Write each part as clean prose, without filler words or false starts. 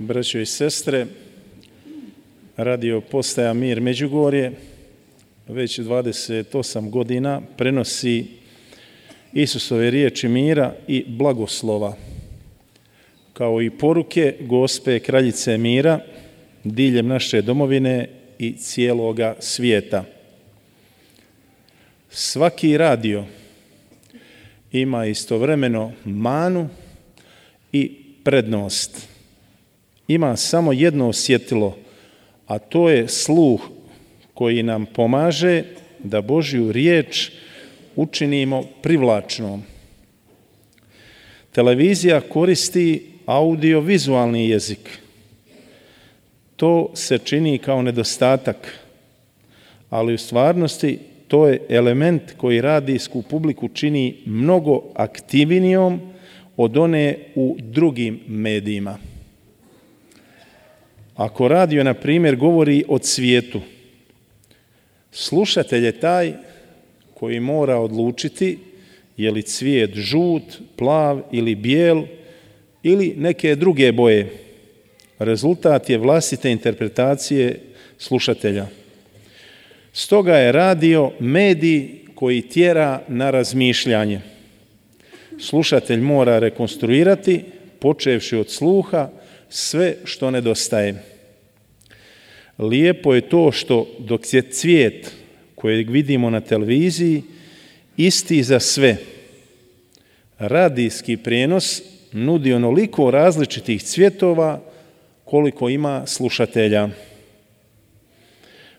Braćo i sestre, radio postaja Mir Međugorje već 28 godina prenosi Isusove riječi mira i blagoslova, kao i poruke Gospe Kraljice mira diljem naše domovine i cijeloga svijeta. Svaki radio ima istovremeno manu i prednost. Ima samo jedno osjetilo, a to je sluh koji nam pomaže da Božju riječ učinimo privlačnom. Televizija koristi audiovizualni jezik. To se čini kao nedostatak, ali u stvarnosti to je element koji radijsku publiku čini mnogo aktivnijom od one u drugim medijima. Ako radio, na primjer, govori o cvijetu, slušatelj je taj koji mora odlučiti je li cvijet žut, plav ili bijel ili neke druge boje. Rezultat je vlastite interpretacije slušatelja. Stoga je radio medij koji tjera na razmišljanje. Slušatelj mora rekonstruirati, počevši od sluha, sve što nedostaje. Lijepo je to što dok je cvijet kojeg vidimo na televiziji isti za sve, radijski prijenos nudi onoliko različitih cvjetova koliko ima slušatelja.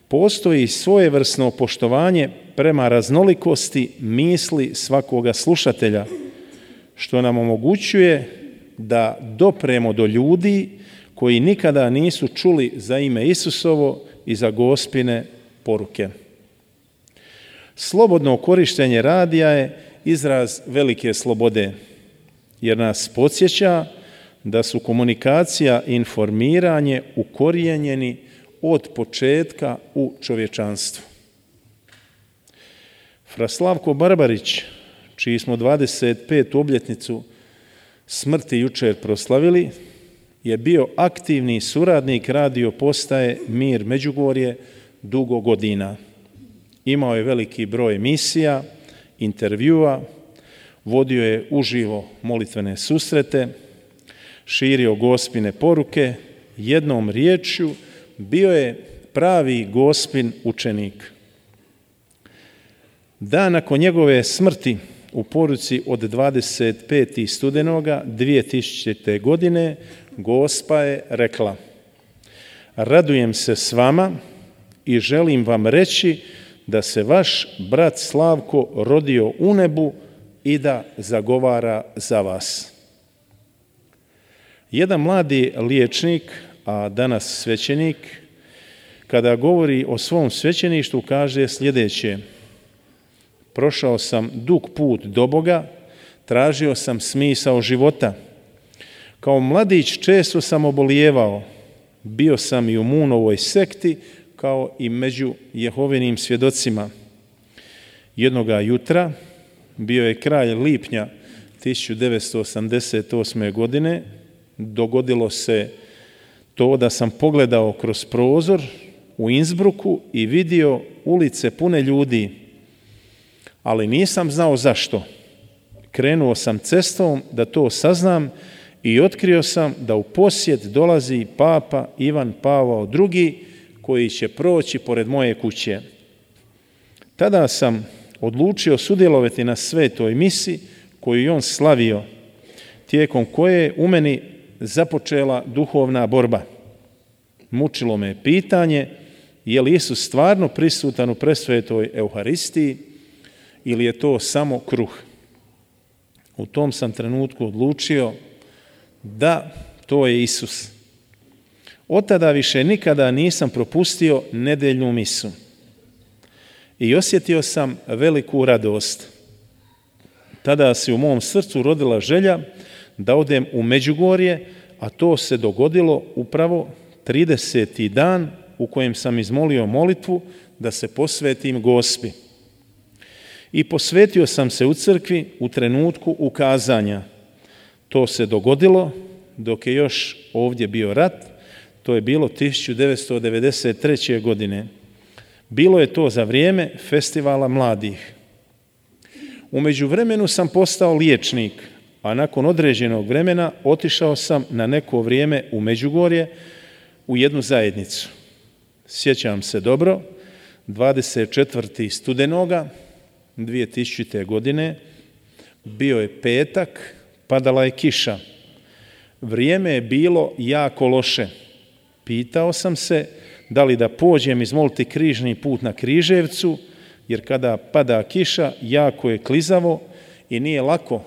Postoji svojevrsno poštovanje prema raznolikosti misli svakoga slušatelja, što nam omogućuje da dopremo do ljudi koji nikada nisu čuli za ime Isusovo i za Gospine poruke. Slobodno korištenje radija je izraz velike slobode, jer nas podsjeća da su komunikacija i informiranje ukorijenjeni od početka u čovječanstvu. Fra Slavko Barbarić, čiji smo 25. obljetnicu smrti jučer proslavili, je bio aktivni suradnik radio postaje Mir Međugorje dugo godina. Imao je veliki broj emisija, intervjua, vodio je uživo molitvene susrete, širio Gospine poruke, jednom riječju bio je pravi Gospin učenik. Dan nakon njegove smrti u poruci od 25. studenoga 2000. godine Gospa je rekla: radujem se s vama i želim vam reći da se vaš brat Slavko rodio u nebu i da zagovara za vas. Jedan mladi liječnik, a danas svećenik, kada govori o svom svećeništvu kaže sljedeće: prošao sam dug put do Boga, tražio sam smisao života. Kao mladić često sam obolijevao, bio sam i u Munovoj sekti, kao i među Jehovinim svjedocima. Jednoga jutra, bio je kraj lipnja 1988. godine, dogodilo se to da sam pogledao kroz prozor u Innsbrucku i vidio ulice pune ljudi, ali nisam znao zašto. Krenuo sam cestom da to saznam i otkrio sam da u posjet dolazi Papa Ivan Pavao II koji će proći pored moje kuće. Tada sam odlučio sudjelovati na svetoj misi koju je on slavio, tijekom koje je u meni započela duhovna borba. Mučilo me pitanje je li Isus stvarno prisutan u presvetoj Euharistiji ili je to samo kruh. U tom sam trenutku odlučio da to je Isus. Od tada više nikada nisam propustio nedeljnu misu i osjetio sam veliku radost. Tada se u mom srcu rodila želja da odem u Međugorje, a to se dogodilo upravo 30. dan u kojem sam izmolio molitvu da se posvetim Gospi. I posvetio sam se u crkvi u trenutku ukazanja. To se dogodilo dok je još ovdje bio rat. To je bilo 1993. godine. Bilo je to za vrijeme festivala mladih. U međuvremenu sam postao liječnik, a nakon određenog vremena otišao sam na neko vrijeme u Međugorje u jednu zajednicu. Sjećam se dobro, 24. studenoga 2000. godine, bio je petak, padala je kiša. Vrijeme je bilo jako loše. Pitao sam se da li da pođem izmoliti križni put na Križevcu, jer kada pada kiša, jako je klizavo i nije lako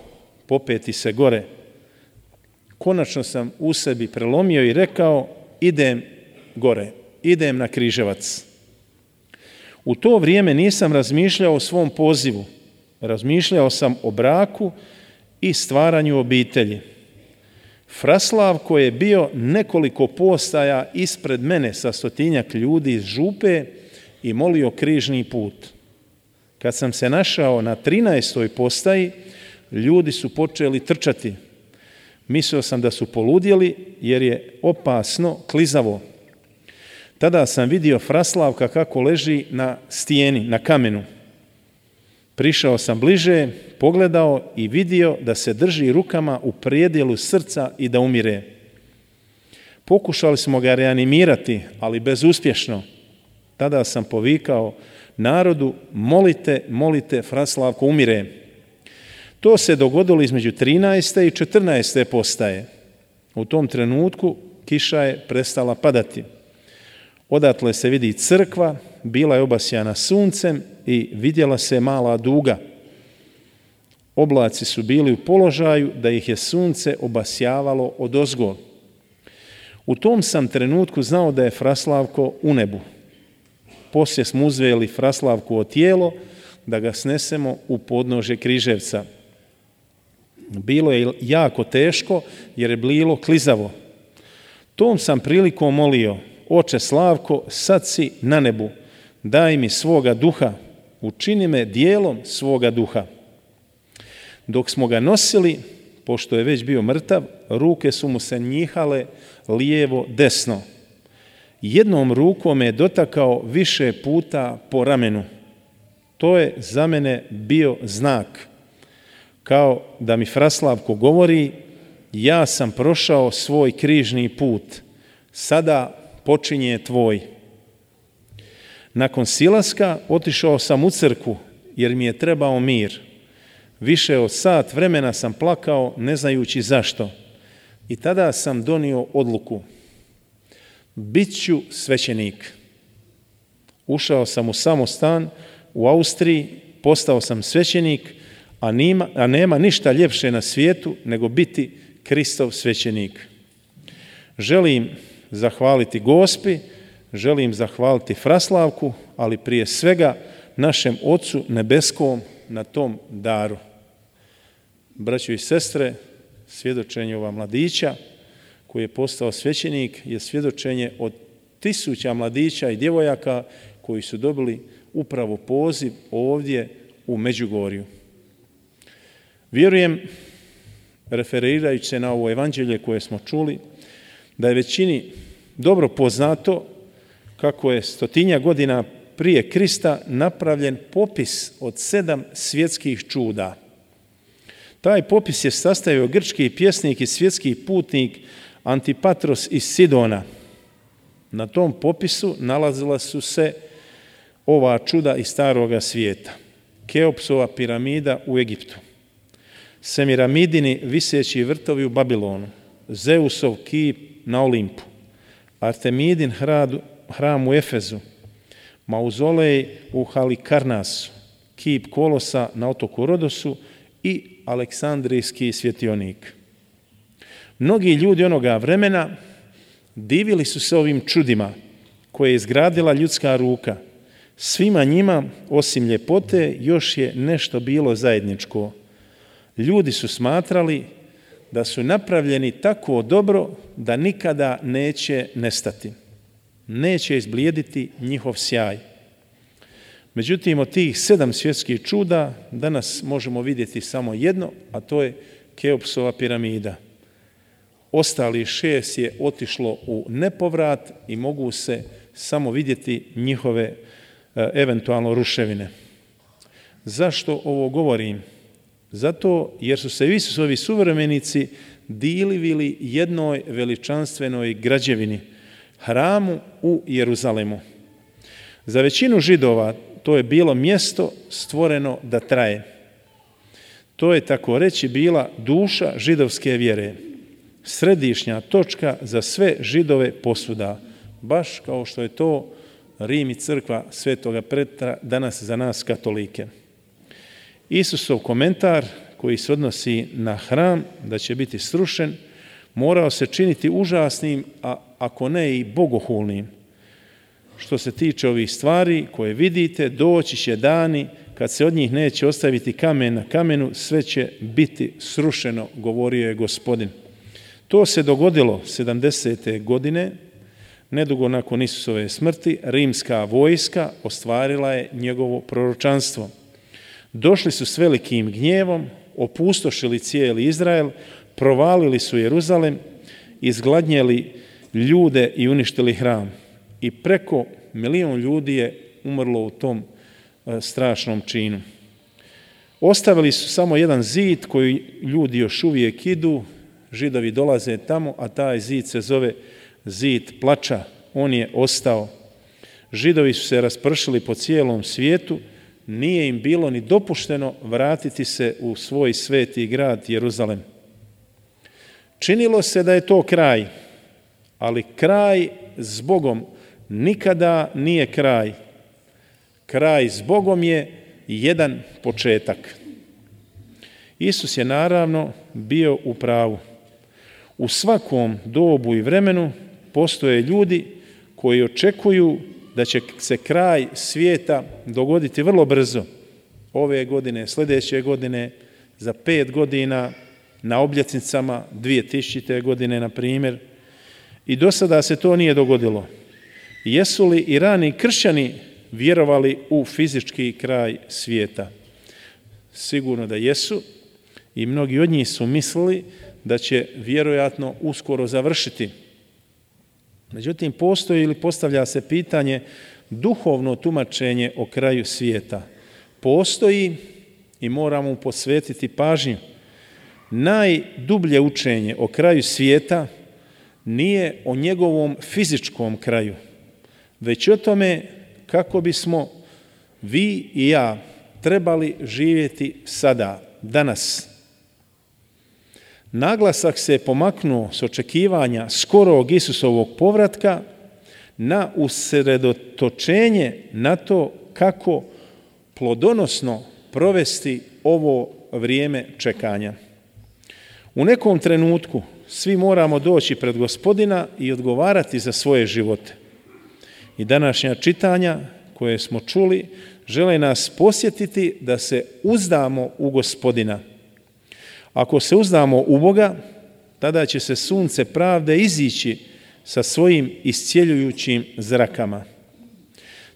popeti se gore. Konačno sam u sebi prelomio i rekao, idem gore, idem na Križevac. U to vrijeme nisam razmišljao o svom pozivu. Razmišljao sam o braku i stvaranju obitelji. Fraslavko je bio nekoliko postaja ispred mene sa 100-tinjak ljudi iz župe i molio križni put. Kad sam se našao na 13. postaji, ljudi su počeli trčati. Mislio sam da su poludjeli jer je opasno klizavo. Tada sam vidio Fraslavka kako leži na stijeni, na kamenu. Prišao sam bliže, pogledao i vidio da se drži rukama u predjelu srca i da umire. Pokušali smo ga reanimirati, ali bezuspješno. Tada sam povikao narodu, molite, molite, Fraslavko umire. To se dogodilo između 13. i 14. postaje. U tom trenutku kiša je prestala padati. Odatle se vidi crkva, bila je obasjana suncem i vidjela se mala duga. Oblaci su bili u položaju da ih je sunce obasjavalo odozgo. U tom sam trenutku znao da je Fraslavko u nebu. Poslije smo uzeli Fraslavku o tijelo da ga snesemo u podnožje Križevca. Bilo je jako teško jer je bilo klizavo. Tom sam prilikom molio, Oče Slavko, sad si na nebu, daj mi svoga duha, učini me dijelom svoga duha. Dok smo ga nosili, pošto je već bio mrtav, ruke su mu se njihale lijevo desno. Jednom rukom je dotakao više puta po ramenu. To je za mene bio znak. Kao da mi Fraslavko govori, ja sam prošao svoj križni put, sada počinje tvoj. Nakon silaska otišao sam u crkvu jer mi je trebao mir. Više od sat vremena sam plakao ne znajući zašto. I tada sam donio odluku. Bit ću svećenik. Ušao sam u samostan u Austriji, postao sam svećenik, a nema ništa ljepše na svijetu nego biti Kristov svećenik. Želim zahvaliti Gospi, želim zahvaliti Fraslavku, ali prije svega našem Ocu nebeskom na tom daru. Braćo i sestre, svjedočenje ova mladića koji je postao svećenik je svjedočenje od 1000 mladića i djevojaka koji su dobili upravo poziv ovdje u Međugorju. Vjerujem, referirajući se na ovo evanđelje koje smo čuli, da je većini dobro poznato kako je 100 godina prije Krista napravljen popis od 7 svjetskih čuda. Taj popis je sastavio grčki pjesnik i svjetski putnik Antipatros iz Sidona. Na tom popisu nalazila su se ova čuda iz staroga svijeta. Keopsova piramida u Egiptu, Semiramidini viseći vrtovi u Babilonu, Zeusov kip na Olimpu, Artemidin hram u Efezu, mauzolej u Halikarnasu, kip Kolosa na otoku Rodosu i Aleksandrijski svjetionik. Mnogi ljudi onoga vremena divili su se ovim čudima koje je izgradila ljudska ruka. Svima njima, osim ljepote, još je nešto bilo zajedničko. Ljudi su smatrali da su napravljeni tako dobro da nikada neće nestati. Neće izblijediti njihov sjaj. Međutim, od tih 7 svjetskih čuda danas možemo vidjeti samo jedno, a to je Keopsova piramida. ostali 6 je otišlo u nepovrat i mogu se samo vidjeti njihove eventualno ruševine. Zašto ovo govorim? Zato jer su se Isusovi suvremenici divili jednoj veličanstvenoj građevini, hramu u Jeruzalemu. Za većinu Židova to je bilo mjesto stvoreno da traje. To je, tako reći, bila duša židovske vjere, središnja točka za sve Židove posvuda, baš kao što je to Rim i crkva Svetoga Petra danas za nas katolike. Isusov komentar koji se odnosi na hram, da će biti srušen, morao se činiti užasnim, a ako ne i bogohulnim. Što se tiče ovih stvari koje vidite, doći će dani kad se od njih neće ostaviti kamen na kamenu, sve će biti srušeno, govorio je Gospodin. To se dogodilo 70. godine, nedugo nakon Isusove smrti, rimska vojska ostvarila je njegovo proročanstvo. Došli su s velikim gnjevom, opustošili cijeli Izrael, provalili su Jeruzalem, izgladnjeli ljude i uništili hram. I preko 1 milijun ljudi je umrlo u tom strašnom činu. Ostavili su samo jedan zid koji ljudi još uvijek idu, Židovi dolaze tamo, a taj zid se zove zid plača. On je ostao. Židovi su se raspršili po cijelom svijetu, nije im bilo ni dopušteno vratiti se u svoj sveti grad Jeruzalem. Činilo se da je to kraj, ali kraj s Bogom nikada nije kraj. Kraj s Bogom je jedan početak. Isus je naravno bio u pravu. U svakom dobu i vremenu postoje ljudi koji očekuju da će se kraj svijeta dogoditi vrlo brzo. Ove godine, sljedeće godine, za 5 godina, na obljetnicama 2000. godine, na primjer. I do sada se to nije dogodilo. Jesu li i rani kršćani vjerovali u fizički kraj svijeta? Sigurno da jesu i mnogi od njih su mislili da će vjerojatno uskoro završiti. Međutim, postoji ili postavlja se pitanje duhovno tumačenje o kraju svijeta. Postoji i moramo mu posvetiti pažnju. Najdublje učenje o kraju svijeta nije o njegovom fizičkom kraju, već o tome kako bismo vi i ja trebali živjeti sada, danas. Naglasak se pomaknuo s očekivanja skorog Isusovog povratka na usredotočenje na to kako plodonosno provesti ovo vrijeme čekanja. U nekom trenutku svi moramo doći pred Gospodina i odgovarati za svoje živote. I današnja čitanja koje smo čuli žele nas posjetiti da se uzdamo u Gospodina. Ako se uzdamo u Boga, tada će se sunce pravde izići sa svojim iscjeljujućim zrakama.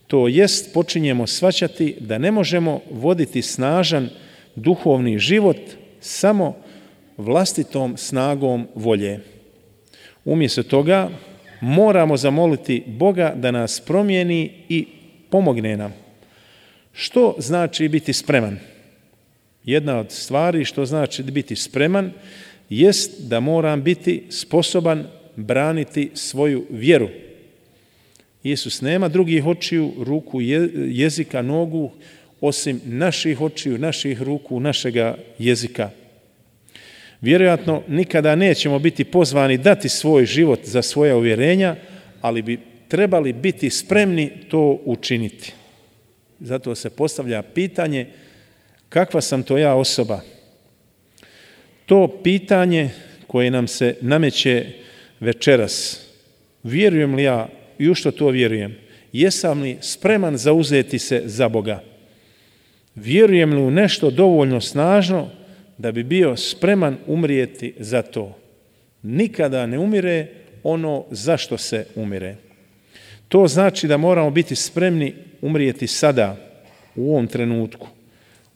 To jest, počinjemo shvaćati da ne možemo voditi snažan duhovni život samo vlastitom snagom volje. Umjesto toga moramo zamoliti Boga da nas promijeni i pomogne nam. Što znači biti spreman? Jedna od stvari što znači biti spreman jest da moram biti sposoban braniti svoju vjeru. Isus nema drugih očiju, ruku, jezika, nogu, osim naših očiju, naših ruku, našega jezika. Vjerojatno nikada nećemo biti pozvani dati svoj život za svoja uvjerenja, ali bi trebali biti spremni to učiniti. Zato se postavlja pitanje kakva sam to ja osoba? To pitanje koje nam se nameće večeras. Vjerujem li ja i u što to vjerujem? Jesam li spreman zauzeti se za Boga? Vjerujem li u nešto dovoljno snažno da bi bio spreman umrijeti za to? Nikada ne umire ono zašto se umire. To znači da moramo biti spremni umrijeti sada, u ovom trenutku.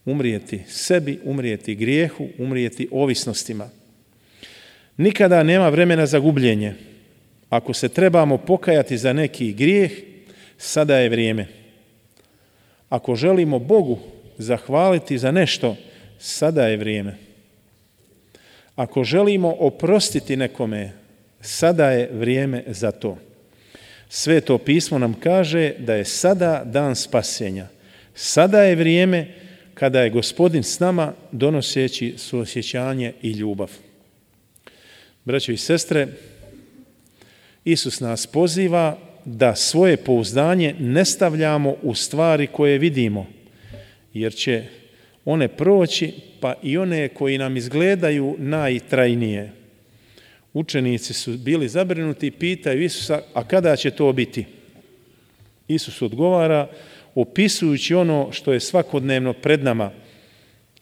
Umrijeti sebi, umrijeti grijehu, umrijeti ovisnostima. Nikada nema vremena za gubljenje. Ako se trebamo pokajati za neki grijeh, sada je vrijeme. Ako želimo Bogu zahvaliti za nešto, sada je vrijeme. Ako želimo oprostiti nekome, sada je vrijeme za to. Sveto pismo nam kaže da je sada dan spasenja. Sada je vrijeme kada je Gospodin s nama donoseći suosjećanje i ljubav. Braćo i sestre, Isus nas poziva da svoje pouzdanje ne stavljamo u stvari koje vidimo, jer će one proći, pa i one koji nam izgledaju najtrajnije. Učenici su bili zabrinuti i pitaju Isusa, a kada će to biti? Isus odgovara opisujući ono što je svakodnevno pred nama,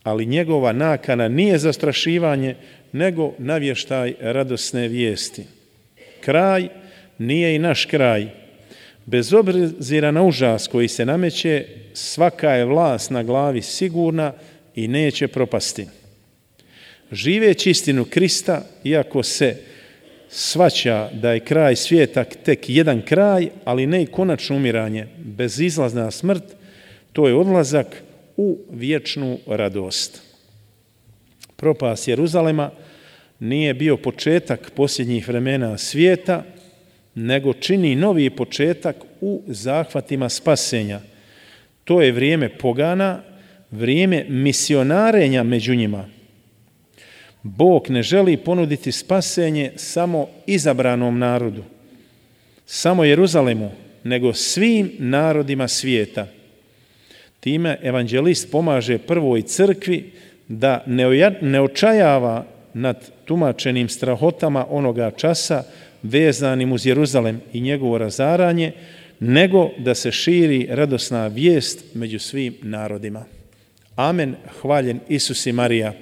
ali njegova nakana nije zastrašivanje, nego navještaj radosne vijesti. Kraj nije i naš kraj. Bez obzira na užas koji se nameće, svaka je vlast na glavi sigurna i neće propasti. Živeći istinu Krista, iako se shvaća da je kraj svijeta tek jedan kraj, ali ne i konačno umiranje, bezizlazna smrt, to je odlazak u vječnu radost. Propast Jeruzalema nije bio početak posljednjih vremena svijeta, nego čini novi početak u zahvatima spasenja. To je vrijeme pogana, vrijeme misionarenja među njima. Bog ne želi ponuditi spasenje samo izabranom narodu, samo Jeruzalemu, nego svim narodima svijeta. Time evanđelist pomaže prvoj crkvi da ne očajava nad tumačenim strahotama onoga časa vezanim uz Jeruzalem i njegovo razaranje, nego da se širi radosna vijest među svim narodima. Amen. Hvaljen Isus i Marija.